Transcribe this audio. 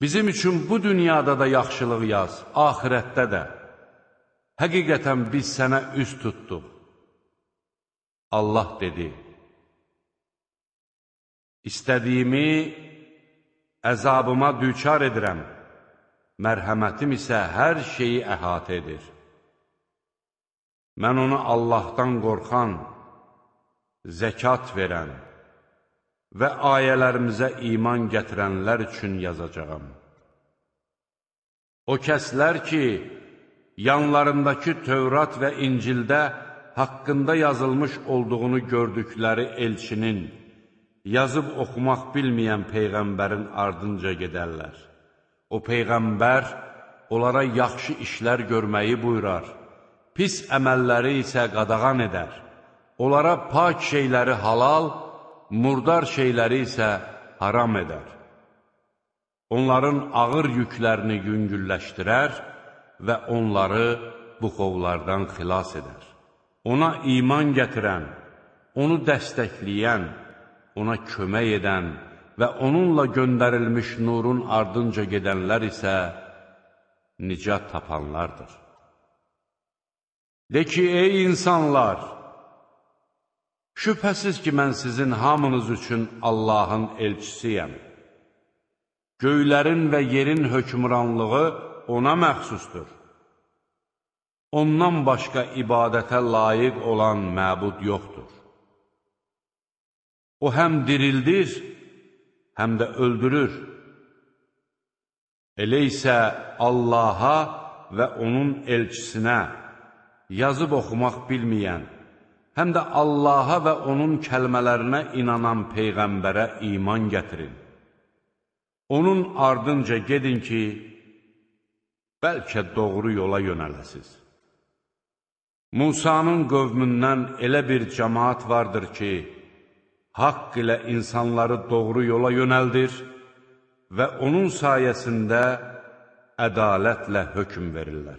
Bizim üçün bu dünyada da yaxşılıq yaz, ahirətdə də. Həqiqətən biz sənə üz tutduq. Allah dedi, İstədiyimi əzabıma düçar edirəm, mərhəmətim isə hər şeyi əhatə edir. Mən onu Allahdan qorxan, zəkat verən və ayələrimizə iman gətirənlər üçün yazacağam. O kəslər ki, yanlarındakı Tövrat və İncildə haqqında yazılmış olduğunu gördükləri elçinin, yazıb oxumaq bilməyən Peyğəmbərin ardınca gedərlər. O Peyğəmbər onlara yaxşı işlər görməyi buyurar, pis əməlləri isə qadağan edər. Onlara pak şeyləri halal, murdar şeyləri isə haram edər. Onların ağır yüklərini yüngülləşdirər və onları buxovlardan xilas edər. Ona iman gətirən, onu dəstəkləyən, ona kömək edən və onunla göndərilmiş nurun ardınca gedənlər isə nicat tapanlardır. De ki, ey insanlar! Şübhəsiz ki, mən sizin hamınız üçün Allahın elçisiyəm. Göylərin və yerin hökmranlığı ona məxsusdur. Ondan başqa ibadətə layiq olan məbud yoxdur. O həm dirildir, həm də öldürür. Elə isə Allaha və onun elçisinə, yazıb oxumaq bilməyən, həm də Allaha və onun kəlmələrinə inanan Peyğəmbərə iman gətirin. Onun ardınca gedin ki, bəlkə doğru yola yönələsiz. Musanın qövmündən elə bir cəmaat vardır ki, haqq ilə insanları doğru yola yönəldir və onun sayəsində ədalətlə hökm verirlər.